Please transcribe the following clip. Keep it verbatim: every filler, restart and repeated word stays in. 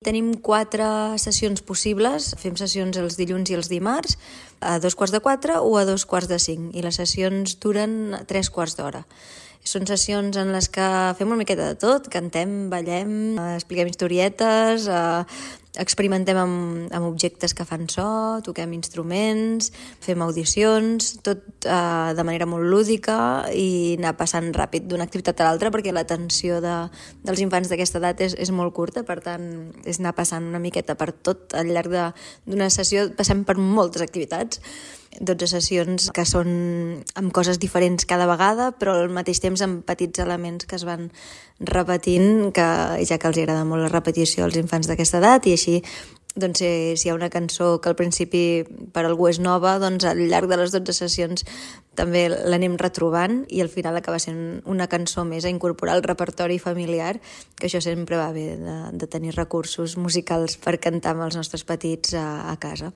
Tenim quatre sessions possibles. Fem sessions els dilluns i els dimarts a dos quarts de quatre o a dos quarts de cinc i les sessions duren tres quarts d'hora. Són sessions en les que fem una miqueta de tot, cantem, ballem, expliquem historietes, experimentem amb, amb objectes que fan so, toquem instruments, fem audicions, tot eh, de manera molt lúdica i anar passant ràpid d'una activitat a l'altra perquè l'atenció de, dels infants d'aquesta edat és, és molt curta, per tant és anar passant una miqueta per tot al llarg d'una sessió, passem per moltes activitats, dotze sessions que són amb coses diferents cada vegada, però al mateix temps amb petits elements que es van repetint, que ja que els agrada molt la repetició als infants d'aquesta edat, i així doncs, si, si hi ha una cançó que al principi per algú és nova, doncs al llarg de les dotze sessions també l'anem retrobant i al final acaba sent una cançó més a incorporar al repertori familiar, que això sempre va bé de, de tenir recursos musicals per cantar amb els nostres petits a, a casa.